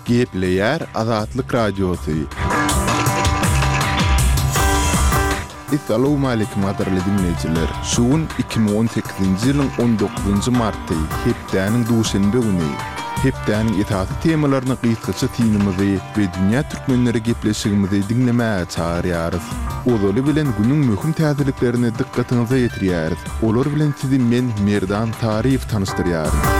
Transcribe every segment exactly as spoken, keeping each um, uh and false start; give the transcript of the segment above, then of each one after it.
Gepleýär Azatlyk Radiosy. Essalawmaleýkim gadyrly diňleýjiler! Şu gün iki müň on sekizinji ýylyň on dokuzynjy marty, hepdäniň duşenbe güni. Hepdäniň esasy temalaryna gysgaça synymyzy we Dünýä türkmenleri gepleşigimizi diňlemäge çagyrýarys. Ozaly bilen günüň möhüm täzeliklerini dykgatyňyza ýetirýäris. Olar bilen sizi men Merdan Taryýew tanyşdyrýaryn.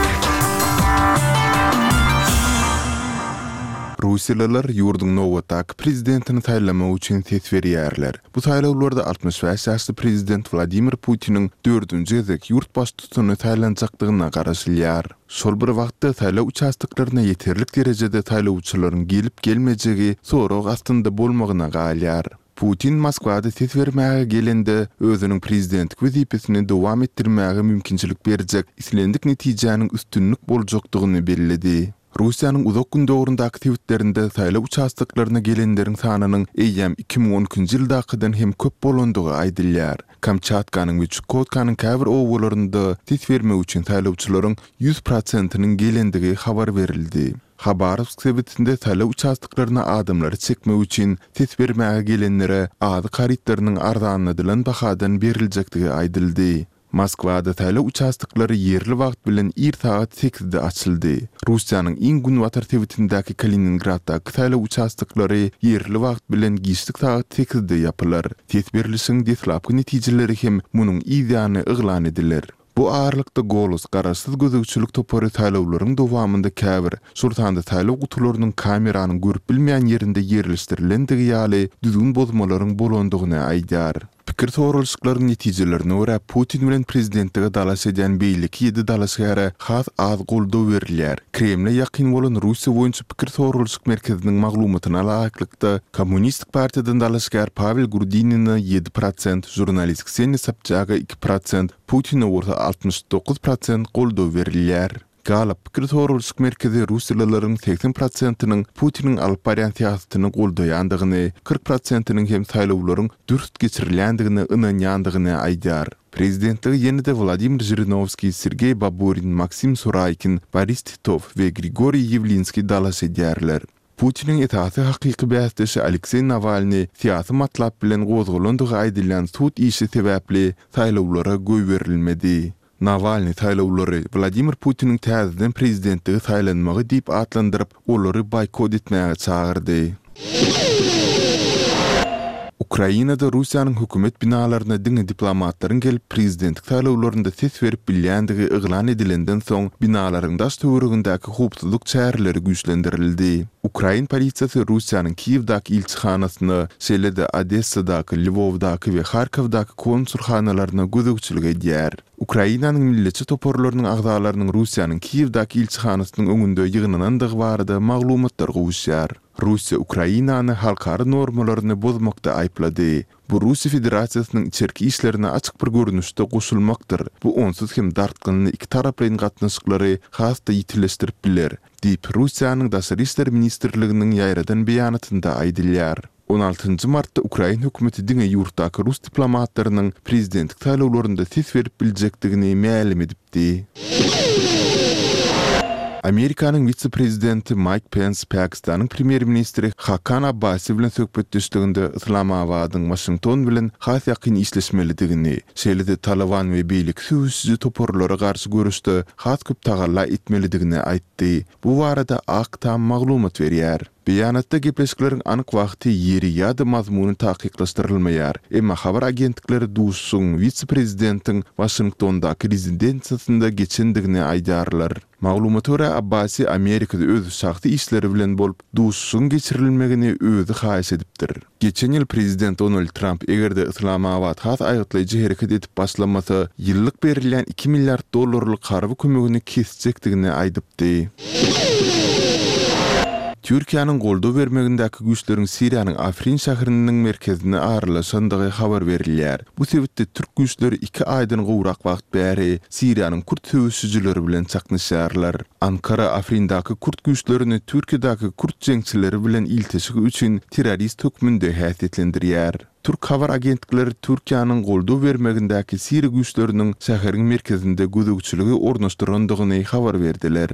Russiýalylar ýurduň nobatdaky prezidentini saýlamak üçin ses berýärler. Bu saýlawlarda altmyş bäş ýaşly prezident Wladimir Putiniň dördünji gezek ýurt baştutany saýlanjakdygyna garaşylýar. Şol bir wagtda saýlaw uçastoklaryna ýeterlik derejede saýlawçylaryň gelip-gelmejegi sorag astynda bolmagyna galýar. Putin Moskwada ses bermäge gelende, özüniň prezidentlik wezipesini dowam etdirmäge mümkinçilik berjek islendik netijäniň üstünlik boljakdygyny belledi. Russiýanyň Uzak Gündogaryndaky sebitlerinde saýlaw uçastoklaryna gelenleriň sanynyň eýýäm iki müň on ikinji ýyldakydan hem köp bolandygy aýdylýar. Kamçatkanyň we Çukotkanyň käbir obalarynda ses bermek üçin saýlawçylaryň ýüz prosentiniň gelendigi habar berildi. Habarowsk sebitinde saýlaw uçastoklaryna adamlary çekmek üçin ses bermäge gelenlere azyk harytlarynyň arzanladylan bahadan beriljekdigi aýdyldy. Moskwada saýlaw uçastoklary ýerli wagt bilen ir sagat sekizde açyldy. Russiýanyň iň günbatar sebitindäki Kaliningraddaky saýlaw uçastoklary ýerli wagt bilen giçlik sagat sekizde ýapylar. Ses berlişigiň deslapky netijeleri hem munuň yz ýany yglan ediler. Bu aralykda Golos garaşsyz gözegçilik topary saýlawlaryň dowamynda käbir, şol sanda saýlaw gutularynyň kameranyň görüp bilmeýän ýerinde ýerleşdirilendigi ýaly düzgün bozmalaryň bolandygyny aýdýar. Pikir soralyşyklaryň netijelerine görä, Putin bilen prezidentlige dalaş edýän beýleki ýedi dalaşgäre has az goldaw berilýär. Kremle ýakyn bolan Russiýa boýunça pikir soralyşyk merkeziniň maglumatyna laýyklykda, Kommunistik partiýadan dalaşgär Pawel Grudinine ýedi prosent, žurnalist Kseniýa Sobçaga iki prosent, Putine bolsa altmyş dokuz prosent goldaw berilýär. Gallup pikir soralyşyk merkezi russiýalylaryň segsen prosentiniň Putiniň alyp barýan syýasatyny goldaýandygyny, kyrk prosentiniň hem saýlawlaryň dürs geçirilýändigine ynanýandygyny aýdýar. Prezidentlige ýene-de Wladimir Žirinowskiý, Sergeý Baburin, Maksim Suraýkin, Boris Titow we Grigoriý Ýewlinskiý dalaş edýärler. Putiniň esasy hakyky bäsdeşi Alekseý Nawalnyý syýasy matlap bilen gozgalandygy aýdylýan sud işi sebäpli saýlawlara goýberilmedi. Nawalnyý saýlawlary Wladimir Putiniň täzeden prezidentlige saýlanmagy diýip atlandyryp, olary boýkot etmäge çagyrdy. Ukrainada Russiýanyň hökümet binalaryna diňe diplomatlaryň gelip prezidentlik saýlawlarynda ses berip bilýändigi yglan edilenden soň binalaryň daş-töweregindäki howpsuzlyk çäreleri güýçlendirildi. Ukrain polisiýasy Russiýanyň Kiýewdäki ilçihanasyna, şeýle-de Odessadaky, Lwowdaky we Harkowdaky konsulhanalaryna gözegçilik edýär. Ukrainanyň milletçi toparlarynyň agzalarynyň Russiýanyň Kiýewdäki ilçihanasynyň öňünde ýygnanandygy barada maglumatlar gowuşýar. Russiýa Ukrainany halkara normalaryny bozmakda aýyplady. Bu Russiýa Federasiýasynyň içerki işlerine açyk bir görnüşde goşulmakdyr, bu onsuz hem dartgynly ikitaraplaýyn gatnaşyklary has-da ýitileşdirip biler, diýip, Russiýanyň Daşary işler ministrliginiň ýaýradan beýanatynda aýdylýar. On altynjy martda ukrain hökümeti diňe ýurtdaky rus diplomatlarynyň prezidentlik saýlawlarynda ses berip biljekdigini mälim edipdi. Amerikanyň wise-prezidenti Maýk Pens Pakistanyň premýer-ministri Hakan Abbasi bilen söhbetdeşliginde Yslamabadyň Waşington bilen has ýakyn işleşmelidigini, şeýle-de Talyban we beýleki söweşiji toparlara garşy göreşde has köp tagalla etmelidigini aýtdy. Bu barada Ak Tam maglumat berýär. Beýanatda gepleşikleriň anyk wagty, ýeri ýa-da mazmuny takyklaşdyrylmaýar. Emma habar agentlikleri duşuşygyň wise-prezidentiň Waşingtondaky rezidensiýasynda geçendigini aýdýarlar. Maglumata görä, Abbasi Amerikada öz şahsy işleri bilen bolup, duşuşygyň geçirilmegini özi haýyş edipdir. Geçen ýyl prezident Donald Tramp eger-de Yslamabat has aýgytlaýjy hereket edip başlamasa, ýyllyk berilýän iki milliard dollarlyk harby kömegini kesjekdigini aýdypdy. Türkiýäniň goldaw bermegindäki güýçleriň Siriýanyň Afrin şäheriniň merkezine aralaşandygy habar berilýär. Bu sebitde türk güýçleri iki aýdan gowrak wagt bäri Siriýanyň kürt söweşijileri bilen çaknyşýarlar. Ankara Afrindäki kürt güýçlerini Türkiýedäki kürt jeňçileri bilen ilteşigi üçin terrorist hökmünde häsiýetlendirýär. Türk habar agentlikleri Türkiýäniň goldaw bermegindäki siriýa güýçleriniň şäheriň merkezinde gözegçiligi ornaşdyrandygyny habar berdiler.